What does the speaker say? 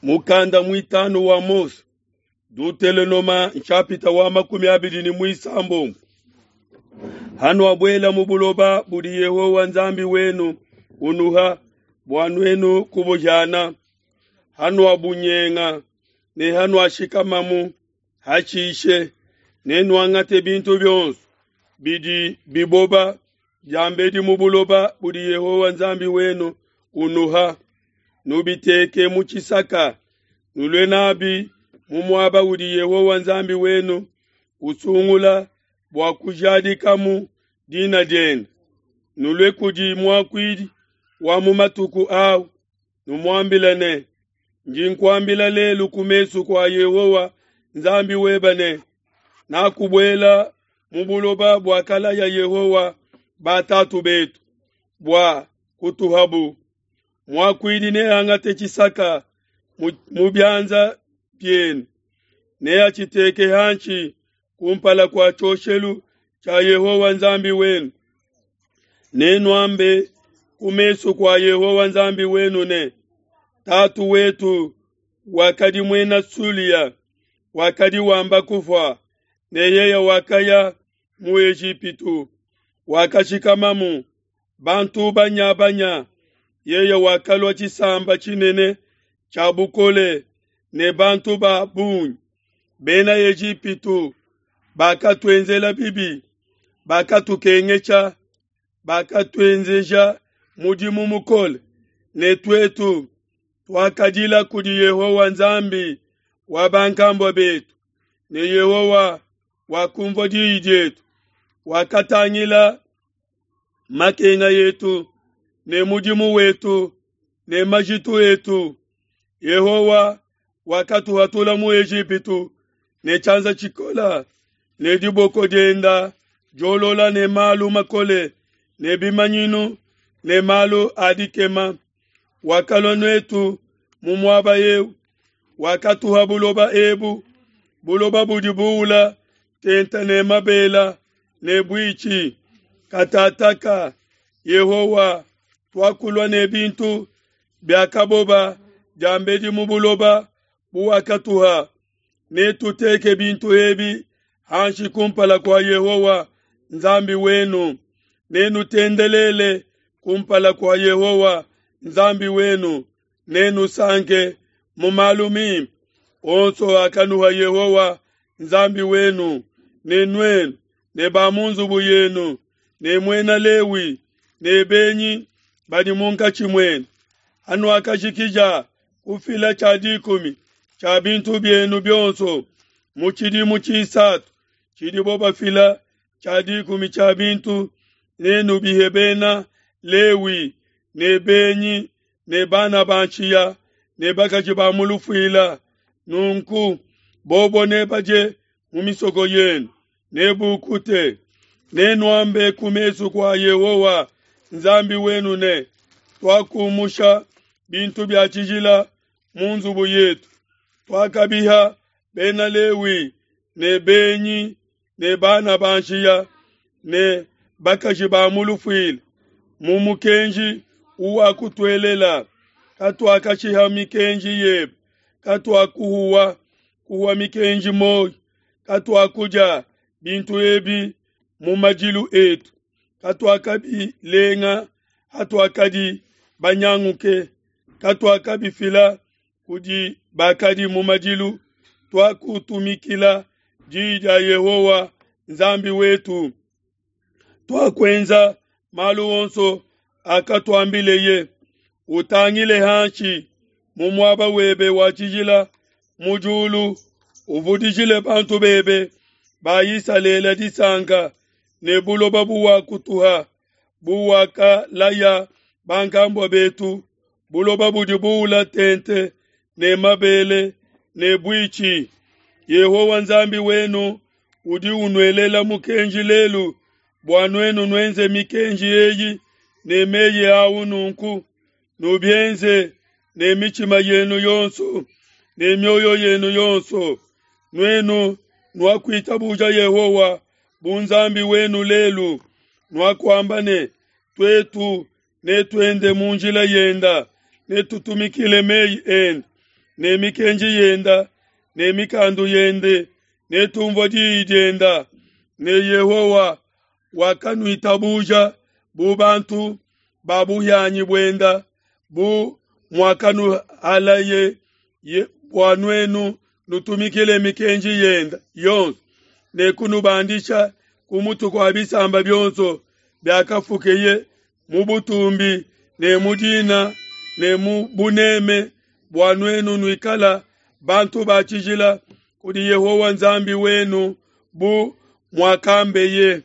Mukanda muitanu wa Mose, Dutelonoma nshapita wa 26. Hanuabuela mu buloba budi Yehowa Nzambi wenu unuha bua nuenu kubuhiana, hanuabunyenga ne hanuashikamamu, hashishe nenuangate bintu bionso bidi biboba diambedi mu buloba budi Yehowa Nzambi wenu unuha, nubiteke mu tshisaka, nulue nabi mu muaba udi Yehowa Nzambi wenu usungula bua kujadikamu dina diende. Nulue kudi muakuidi wa mu matuku au, numuambile ne, Ndi nkuambila lelu ku mesu kua Yehowa Nzambi webe ne, nakubuela mu buloba buakalaya Yehowa batatu betu bua kutuhabu. Muakuidi neangate tshisaka mu bianza bienu, neatshiteke hanshi kumpala kua tshioshelu tshia Yehowa Nzambi wenu. Nenuambe ku mesu kua Yehowa Nzambi wenu ne, Tatu wetu wakadi muena Sulia, wakadi wamba kufua, ne yeye wakaya mu Ejipitu, wakashikamamu bantu banya-banya. Yeye wakalua tshisamba tshinene tshia bukole ne bantu ba bungi. Bena Ejipitu bakatuenzela bibi, bakatukengesha, bakatuenzeja mudimu mukole, ne tuetu tuakadila kudi Yehowa Nzambi wa bankambua betu, ne Yehowa wakumvua diyi dietu, wakatangila makenga etu ne mudimu wetu ne majitu etu. Yehowa wakatuhatula mu Ejipitu ne tshianza tshikola ne diboko dienda diolola ne malu makole ne bimanyinu ne malu a dikema. Wakalua netu mu muaba eu, wakatuha buloba ebu, buloba budi buula tente ne mabela ne buitshi. Katataka Yehowa, tuakulua ne bintu biakaboba diambedi mu buloba buwakatuha. Netuteke bintu ebi hanshi kumpala kua Yehowa Nzambi wenu, nenutendelele kumpala kua Yehowa Nzambi wenu, nenusanke mu malu mimpe onso akanuha Yehowa Nzambi wenu, ne nuenu ne ba mu nzubu yenu, ne muena Lewi ne benyi badi munkatshi muenu. Hanuakajikija kufila tshia dikumi tshia bintu bienu bionso mu tshidimu tshisatu tshidibo bafila tshia dikumi tshia bintu, nenubihe bena Lewi ne benyi ne bana ba nshiya ne bakaji ba mu lufuila. Nunku bobo nebadie mu misoko yenu, nebukute. Nenuambe ku mesu kua Yehowa Nzambi wenu ne, Tuakumusha bintu bia tshijila mu nzubu yetu, tuakabiha bena Lewi ne benyi ne bana ba nshiya ne bakaji ba mu lufuila mu mukenji uwakutuelela. Katuakashiha mikenji yebe, katuakuhuwa kuhua mikenji moyo, katuakudia bintu ebi mu madilu etu, katuakabilenga hatuakadi banyanguke, katuakabifila kudi bakadi mu madilu. Tuakutumikila diyi dia Yehowa Nzambi wetu, tuakuenza malu onso akatuambileye. Utangile hanshi mu muaba webe wa tshijila mu diulu, uvudijile bantu bebe ba Isalele disanka ne buloba buwakutuha, buwakalaya bankambua betu, buloba budi buula tente ne mabele ne buitshi. Yehowa Nzambi wenu udi unuelela mukenji lelu bua nuenu nuenze mikenji eyi ne meyi au nunku, nubienze ne mitshima yenu yonso ne mioyo yenu yonso. Nuenu nuakuitabuja Yehowa bu Nzambi wenu lelu, nuakuamba ne, tuetu netuende mu njila yenda, netutumikile meyi ende. ne mikenji yenda ne mikandu yende ne tumvua diyi dienda. Ne Yehowa wakanuitabuja bu bantu ba buhianyi buenda, bu muakanuhalaye bua nuenu nutumikile mikenji yenda yonso, ne kunubandisha ku mutu kua bisamba bionso biakafukeye mu butumbi ne mu dina ne mu buneme, bua nuenu nuikala bantu ba tshijila kudi Yehowa Nzambi wenu bu muakambeye.